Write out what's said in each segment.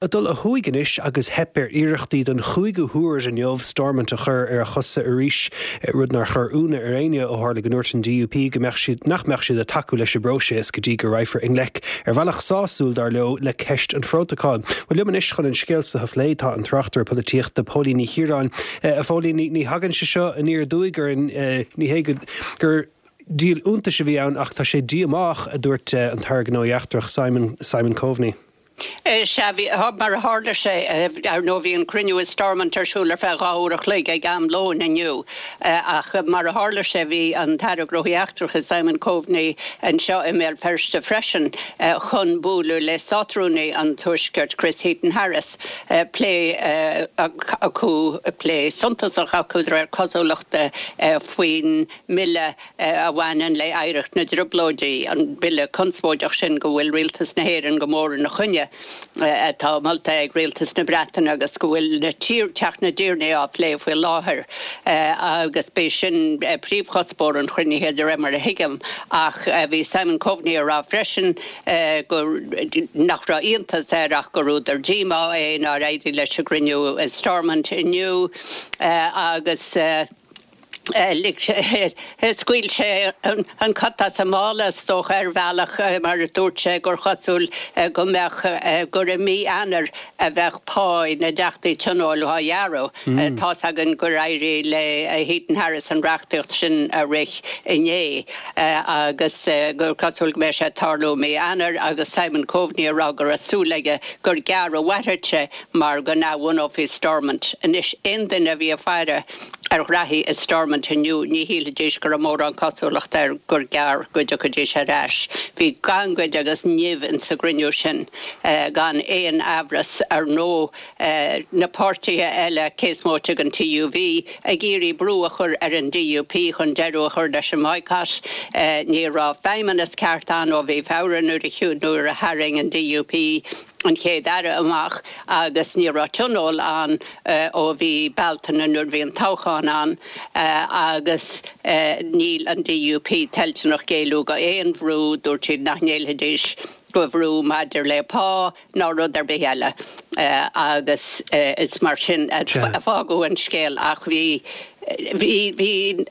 Ag dul ó thuaidh anois agus theip ar iarrachtaí don chúigiú huair inniu Stormont a chur ar a chosa arís, rud nár chuir ionadh ar éinne ó tharla go ndúirt an DUP go mbeadh siad nach mbeadh siad ag tacú leis an bpróiseas go dtí go raghfar i ngleic, ar bhealach sásúil dar leo, le ceist an phrótacail. Bhuel liom anois chun an scéal seo a phlé tá an tráchtaire polaitíochta Póilín Ní Chiaráin. A Phóilín, ní thagann sé seo aniar aduaidh orainn, ní hé gur díol iontais a bhí ann ach tá sé díomách, a dúirt an tAire Gnóthaí Eachtracha Simon Simon Coveney. Sea, bhí, mar a tharla sé, ar ndóigh bhí an cruinniú i Stormont ar siúl ar feadh 2 uair a chloig ag am lóin inniu, ach mar a tharla sé bhí an tAire Gnóthaí Eachtracha Simon Coveney anseo i mBéal Feirste freisin chun bualadh le Státrúnaí an Tuaiscirt Chris Heaton-Harris. Plé acu, plé suntasach acu de réir cosúlachta faoin mbille a bhaineann le hoidhreacht na dTrioblóidí, an bille conspóideach sin go bhfuil Rialtas na hÉireann go mór ina choinne, atá molta ag Rialtas na Breataine agus go bhfuil i Teach na dTiarnaí á phlé faoi láthair agus b'é sin príomhchuspóir an chruinnithe de réir mar a thuigim. Ach bhí Simon Coveney ag rá freisin go nach raibh iontas air ach gur údar díomá é nár éirigh leis an gcruinniú i Stormont inniu agus. Lig sé, scaoil sé an cat as an mála, is dócha, ar bhealach, mar dúirt sé gur chosúil go mbeadh, gur i mí Eanáir a bheadh pá na dTeachtaí Tionóil á ghearradh. Tá's againn gur éirigh le Heaton Harris an reachtaíocht sin a rith inné agus gur cosúil go mbeidh sé ag tarlú i mí Eanáir agus Simon Coveney ag rá go raibh súil aige gur gearr a mhairfeadh sé mar go n-athbhunófaí Stormont. Anois, aon duine a bhí ag faire ar ghraithí i Stormont inniu, ní shílfidís go raibh mórán cosúlachta air gur gearr go dtiocfaidís ar ais. Bhí gangaid agus nimh insa gcruinniú sin, gan aon amhras. Ar ndóigh, na páirtithe eile, cé is móite den TUV, ag iarraidh brú a chur ar an DUP chun deireadh a chur leis an mboycott. Ní raibh feidhmeannas ceart ann ó mhí Feabhra nuair a tharraing an DUP an Chéad-Aire amach agus ní raibh tionól ann ó mhí Bealtaine nuair a bhí an toghchán ann agus níl an DUP toilteanach géilleadh go aon bhrú, dúirt siad nach ngéillfidís go bhrú maidir le pá ná rud ar bith eile agus is mar sin a fágadh an scéal ach bhí bhí bhí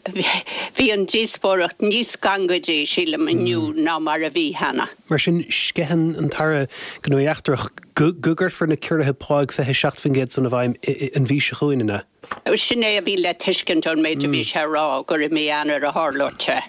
bhí an díospóireacht níos gangaidí sílim inniu ná mar a bhí cheana. Mar sin, sceitheann an tAire Gnóthaí Eachtracha go gcuirfear na ciorruithe pá 27% san i bhfeidhm an mhí seo chugainn, an ea? Sin é a bhí le tuiscint ón méid a bhí sé a rá, gur i mí Eanáir a tharlódh sé,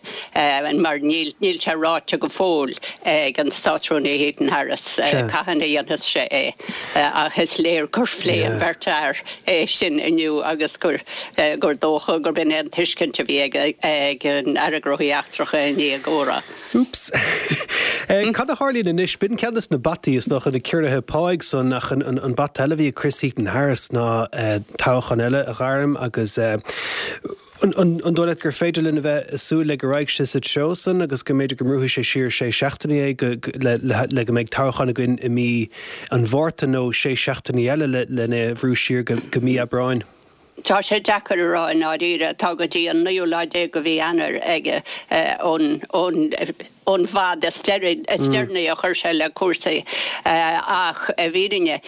mar níl sé ráite go fóill ag an Státrúnaí Heaton Harris cathain a dhéanfas sé é. Ach is léir gur phléigh an bheirt fhear é sin inniu agus gur dócha gurb in é an tuiscint a bhí ag an Aire Gnóthaí Eachtracha i ndiaidh a gcomhrá. Úps. Cad a tharlaíonn anois? B'in ceann de na bataí, is dócha, na ciorruithe páigh san, ach an bata eile a bhí ag Chris Heaton Harris ná toghchán eile a ghairm agus an dóigh leat gur féidir linn a bheith ag súil le go raghaidh sé sa treo san agus go mb'fhéidir go mbrúfaidh sé siar sé seachtainí é le go mbeidh toghchán againn i mí an Mhárta nó sé seachtainí eile lena bhrú siar go mí Aibreáin? Tá sé deacair a rá i ndáiríre. Tá go dtí an naoú lá déag de mhí Eanáir aige ón ón bhfad is deireanaí a chuir sé le cúrsaí. Ach i bhfírinne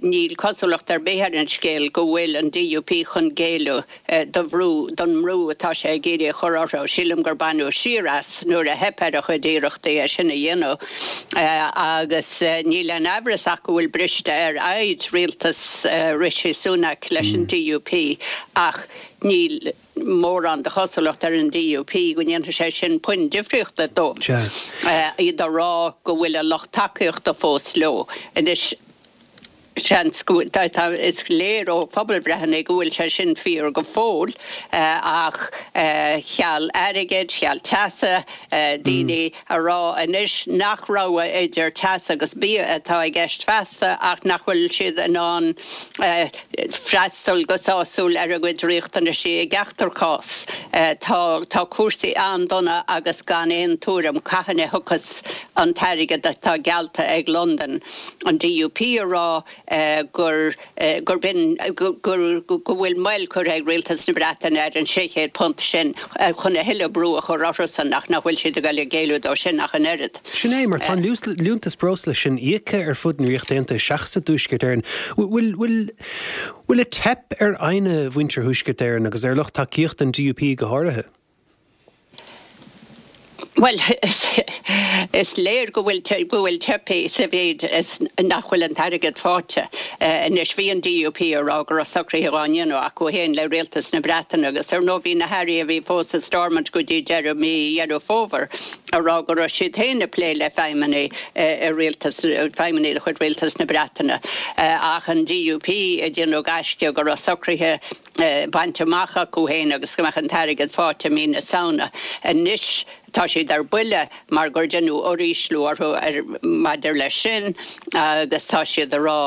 níl cosúlacht ar bith ar an scéal go bhfuil an DUP chun géilleadh do bhrú, don mbrú atá sé ag iarraidh a chur orthu. Sílim gur baineadh siar as nuair a theip ar a chuid iarrachtaí é sin a dhéanamh. Agus níl aon amhras ach go bhfuil briste ar fhoighid rialtas Rishi Sunak leis an DUP ach níl mórán de chosúlacht ar an DUP go ndéanfaidh sé sin puinn difríochta dóibh. Iad ag rá go bhfuil a lucht tacaíochta fós leo. Anois, seans go bhfuil, is léir ó phobalbhreitheanna go bhfuil sé sin fíor go fóill ach cheal airgid, cheal teasa, daoine a rá anois nach rogha idir teas agus bia atá i gceist feasta ach nach bhfuil siad in ann freastal go sásúil ar a gcuid riachtanaisí i gceachtar cás. Tá tá cúrsaí an-dona agus gan aon tuairim cathain a thiocfas an t-airgead atá geallta ag Londain. An DUP a rá. Gur gurb in go bhfuil moill curtha ag Rialtas na Breataine ar an £600 sin chun a thuilleadh brú a chur orthusan ach nach bhfuil siad ag dul ag géilleadh dó sin ach an oiread. Sin é, mar tá an liúntas breosla sin íoctha ar fud na Ríochta Aontaithe seachas i dTuaisceart Éireann. Bhfuil bhfuil ag teip ar fhoighne mhuintir Thuaisceart Éireann agus ar lucht tacaíochta an DUP go háirithe? Bhuel, is léir go bhfuil go bhfuil teipthe sa mhéid is nach bhfuil an t-airgead faighte. Anois, bhí an DUP ag rá go raibh socruithe á ndéanamh acu féin le Rialtas na Breataine agus ar ndóigh bhí na hairí a bhí fós i Stormont go dtí deireadh mí Dheireadh Fómhair ag rá go raibh siad féin ag plé le feidhmeannaigh i rialtas, feidhmeannaigh de chuid Rialtas na Breataine ach an DUP ag déanamh gaisce go raibh socruithe bainte amach acu féin agus go mbeadh an t-airgead faighte i mí na Samhna. Anois tá siad ar buile mar gur deineadh uirísliú orthu maidir leis sin agus tá siad ag rá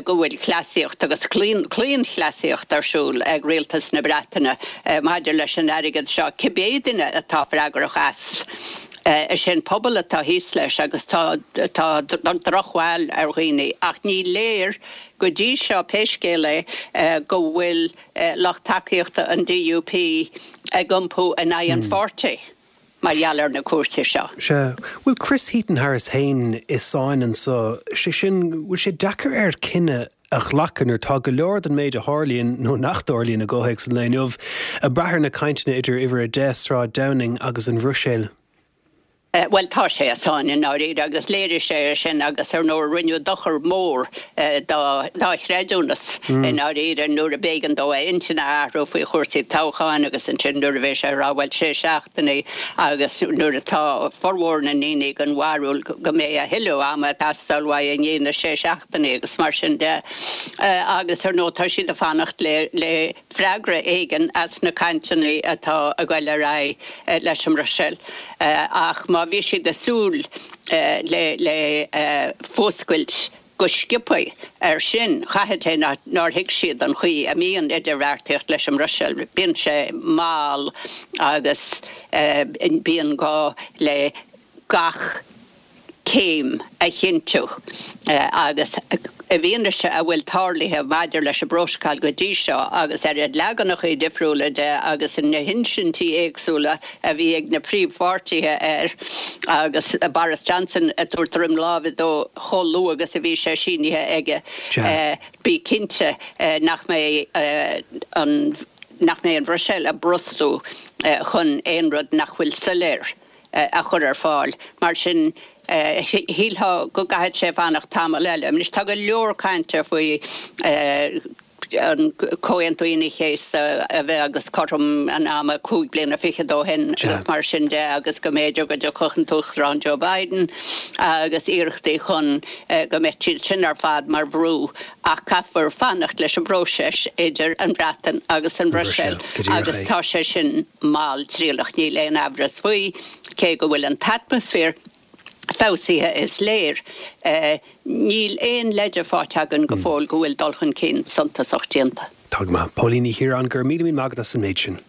go bhfuil cleasaíocht agus claonchleasaíocht ar siúl ag Rialtas na Breataine maidir leis an airgead seo, cibé duine atá freagrach as. Is é an pobal atá thíos leis agus tá drochbhail ar dhaoine ach ní léir Go dtí seo, pé scéal é, go bhfuil lucht tacaíochta an DUP ag iompú in aghaidh an pháirtí mar gheall ar na cúrsaí seo. Sea. Bhfuil Chris Heaton-Harris féin i sáinn anseo? Sé sin, bhfuil sé deacair air cinneadh a ghlacadh nuair atá go leor den méid a tharlaíonn, nó nach dtarlaíonn i gcomhthéacs an lae inniu, ag brath ar na cainteanna idir Uimhir 10, Sráid Downing agus an Bhruiséil? Bhuel, tá sé i sáinn i ndáiríre agus léirigh sé é sin agus ar ndóigh rinneadh dochar mór dá chreidiúnas i ndáiríre nuair a b'éigean dó a intinn a athrú faoi chúrsaí toghcháin agus ansin nuair a bhí sé ag rá bhuel sé seachtainí agus nuair atá formhór na ndaoine den bharúil go mbeidh a thuilleadh ama ag teastáil uaidh i ndiaidh na sé seachtainí agus mar sin de agus ar ndóigh tá siad ag fanacht le freagra éigin as na cainteanna atá ag goil ar aghaidh leis an mBruiséil ach má bhí siad ag súil le fuascailt go sciobtha air sin, caithfidh sé nár thuig siad an chaoi a mbíonn idirbheartaíocht leis an mBruiséil. Bíonn sé mall agus bíonn gá le gach céim a chinntiú agus i bhfianaise a bhfuil tarlaithe maidir leis an bprótacal go dtí seo agus ar a leaganacha difriúla de agus na hinsintí éagsúla a bhí ag na príomhpháirtithe air agus Boris Johnson ag tabhairt droim láimhe dó chomh luath agus a bhí sé sínithe aige, bí cinnte nach mbeidh an nach mbeidh an Bhruiséil ag brostú chun aon rud nach bhfuil soiléir. a chur ar fáil. Mar sin, shílfeá go gcaithfidh sé fanacht tamall eile. Anois, tá go leor cainte faoi an Comhaontú Aoine an Chéasta a bheith agus cothrom an ama 5 bliana fichead ó shin agus mar sin de agus go mb'fhéidir go dtiocfadh an tUachtarán Joe Biden agus iarrachtaí chun go mbeadh siad sin ar fad mar bhrú ach caithfear fanacht leis an bpróiseas idir an Bhreatain agus an Bhruiséil agus tá sé sin malltriallach, níl aon amhras faoi, cé go bhfuil an t-atmaisféar feabhsaithe is léir, níl aon leide faighte againn go fóill go bhfuil dul chun cinn suntasach déanta. Tá go maith. Póilín Ní Chiaráin, go raibh míle míle maith agat as an méid sin.